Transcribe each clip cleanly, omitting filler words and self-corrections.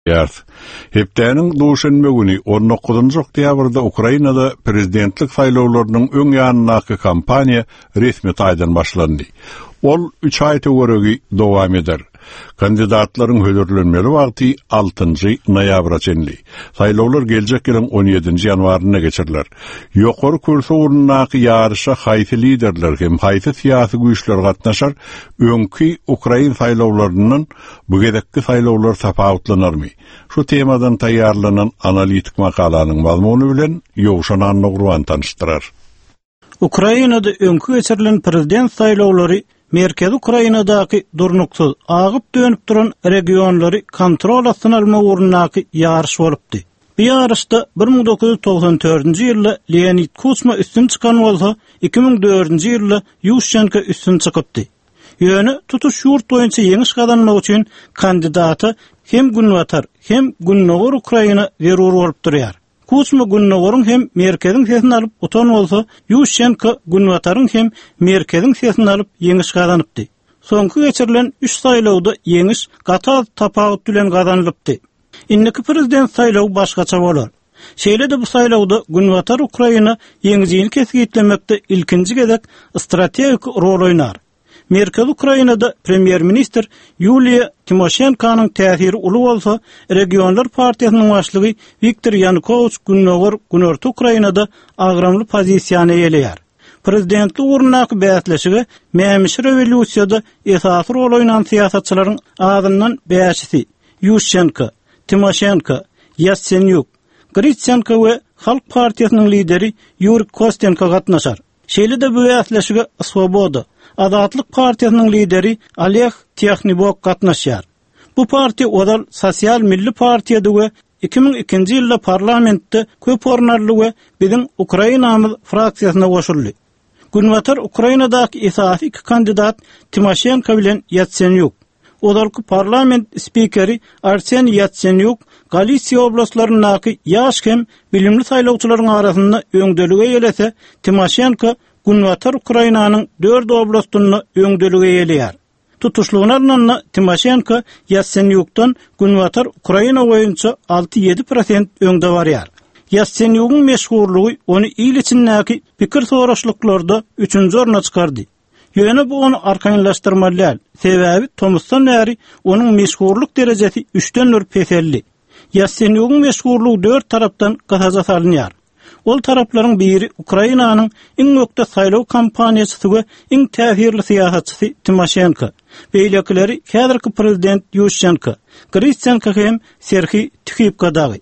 Ýarys. Hepdäniň duşenbe güni, on dokuzynjy oktýabrda Ukrainada prezidentlik saýlawlarynyň öň ýanyndaky kampaniýa resmi taýdan başlandy. Ol üç aý töweregi dowam eder. Kandidatlaryň hödürlenmeli wagty altynjy noýabra çenli. Saýlawlar geljek ýylyň on ýedinji ýanwarynda geçiriler. Ýokary kürsi ugrundaky ýaryşa haýsy liderler hem haýsy syýasy güýçler gatnaşar, öňki ukrain saýlawlaryndan Bu gezekki saýlawlar tapawutlanarmy? Şu temadan taýýarlanan analitik makalanyň mazmuny bilen Ýowşan Annagurban tanyşdyrar. Ukrainada öňki geçirilen prezident saýlawlary Merkezi Ukrainadaky durnuksyz, agyp-dönüp duran regionlary kontrol astyna almak ugrundaky ýaryş bolupdy. Bu ýaryşda 1994-nji ýylda Leonid Kuçma üstün çykan bolsa, 2004-nji ýylda Ýuşçenko üstün çykypdy. Ýöne tutuş ýurt boýunça ýeňiş gazanmak üçin kandidata hem Günbatar, hem Gündogar Ukraina zerur bolup durýar. Kuçma Gündogaryň hem Merkeziň sesini alyp utan bolsa, Ýuşçenko Günbataryň hem Merkeziň sesini alyp ýeňiş gazanypdy. Soňky geçirilen üç saýlawda ýeňiş gaty az tapawut bilen gazanylypdy. Indiki prezident saýlawy başgaça bolar. Şeýle-de bu saýlawda Günbatar Ukraina ýeňijini kesgitlemekde ilkinji gezek strategik rol oýnar. Merkezi Ukrainada premýer-ministr Ýuliýa Timoşenkonyň täsiri uly bolsa, Regionlar partiýasynyň başlygy Wiktor Ýanukowiç Gündogar, Günorta Ukrainada agramly pozisiýany eýeleýär. Prezidentlik ugrundaky bäsleşige mämişi rewolýusiýada esasy rol oýnan syýasatçylaryň azyndan bäşisi, Ýuşçenko, Timoşenko, Ýatsenýuk, Gritsenko we Halk partiýasynyň lideri Ýuriý Kostenko gatnaşar. Şeýle-de bu bäsleşige Swoboda, Azatlyk partiýasynyň lideri Oleg Týahnibok gatnaşýar. Bu partiýa ozal Sosial milli partiýady we 2002-nji ýylda parlamentde köp orun aldy we Biziň Ukrainamyz fraksiýasyna goşuldy. Günbatar Ukrainadaky esasy iki kandidat Timoşenko bilen Ýatsenýuk. Ozalky parlament spikeri Arseniý Ýatsenýuk Galisiýa oblastlaryndaky ýaş hem bilimli saýlawçylaryň arasynda öňdeligi eýelese, Timoşenko Günbatar Ukrainanyň dört oblastynda öňdeligi eýeleýär. Tutuşlygyna alnanda, Timoşenko Ýatsenýukdan Günbatar Ukraina boýunça alty-ýedi prosent öňde barýar. Ýatsenýugyň meşhurlygy ony il içindäki pikir soraşlyklarda üçünji orna çykardy. Ýöne bu ony arkaýynlaşdyrmaly däl, sebäbi tomusdan bäri onuň meşhurlyk derejesi üçden bir peseldi. Ýatsenýugyň meşhurlygy dört tarapdan gysaja salynýar. Ol taraplaryň biri Ukrainanyň iň ökde saýlaw kampaniýaçysy we iň täsirli syýasatçysy Timoşenko, beýlekileri häzirki prezident Ýuşçenko, Gritsenko hem Serhiý Tihipko dagy.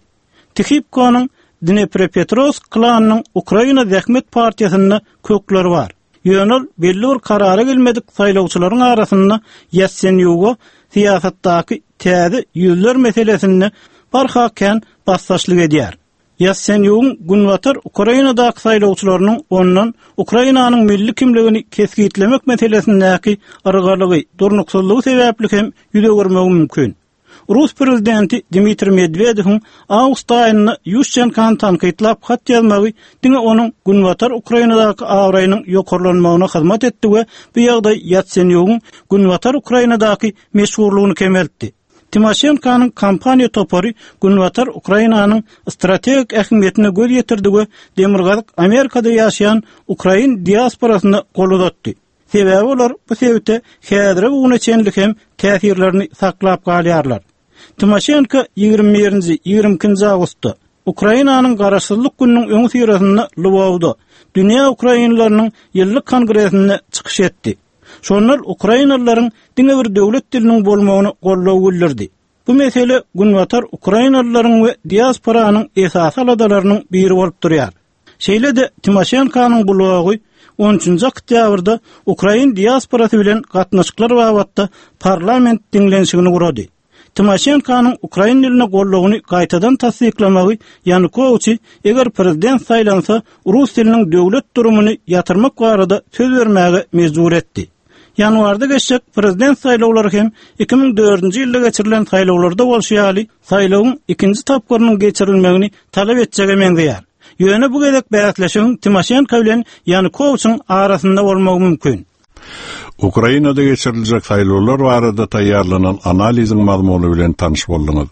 Tihipkonyň Dneprepetrowsk klanynyň Ukraina zähmet partiýasynda kökleri bar. Ýöne ol belli bir karara gelmedik saýlawçylaryň arasynda Ýatsenýuga syýasatdaky täze ýüzler meselesinde barha kän basdaşlyk edýär. Ýatsenýugyň Günbatar Ukrainadaky saýlawçylarynyň ondan Ukrainanyň milli kimligini kesgitlemek meselesindäki yrgalygy, durnuksyzlygy sebäpli hem ýüz öwürmegi mümkin. Rus prezidenti Dmitriý Medwedewiň awgust aýynda Ýuşçenkony tankytlap hat ýazmagy diňe onuň Günbatar Ukrainadaky abraýynyň ýokarlanmagyna hyzmat etdi we bu ýagdaý Ýatsenýugyň Günbatar Ukrainadaky meşhurlygyny kemeltdi. Timoşenkonyň kampaniýa topary Günbatar Ukrainanyň strategik ähmiýetine göz ýetirdi we Demirgazyk Amerikada ýaşaýan ukrain diasporasyna gol uzatdy. Sebäbi olar bu sebite häzire bu güne çenli hem täsirlerini saklap galýarlar. Timoşenko 21-nji, 22-nji awgustda, Ukrainanyň Garaşsyzlyk gününiň öňüsyrasynda Lwowda, Dünýä ukrainleriniň ýyllyk kongresinde çykyş etdi. Şonda ol ukrainalylaryň diňe bir döwlet diliniň bolmagyna goldaw bildirdi. Bu mesele günbatar ukrainalylaryň we diasporanyň esasy aladalarynyň biri bolup durýar. Şeýle-de Timoşenkonyň blogy on üçünji oktýabrda ukrain diasporasy bilen gatnaşyklar babatda parlament diňlenişigini gurady. Timoşenkonyň ukrain diline goldawyny gaýtadan tassyklamagy Ýanukowiçi, eger prezident saýlansa, rus diliniň döwlet durumyny ýatyrmak barada söz bermäge mejbur etdi. Ýanwarda geçjek prezident saýlawlary hem 2004-nji ýylda geçirilen saýlawlarda bolşy ýaly, saýlawyň ikinji tapgyrynyň geçirilmegini talap etjege meňzeýär. Ýöne bu gezek bäsleşigiň Timoşenko bilen Ýanukowiçiň arasynda bolmagy mümkin. Ukrainada geçiriljek saýlawlar barada taýýarlanan analiziň mazmuny bilen tanyş bolduňyz.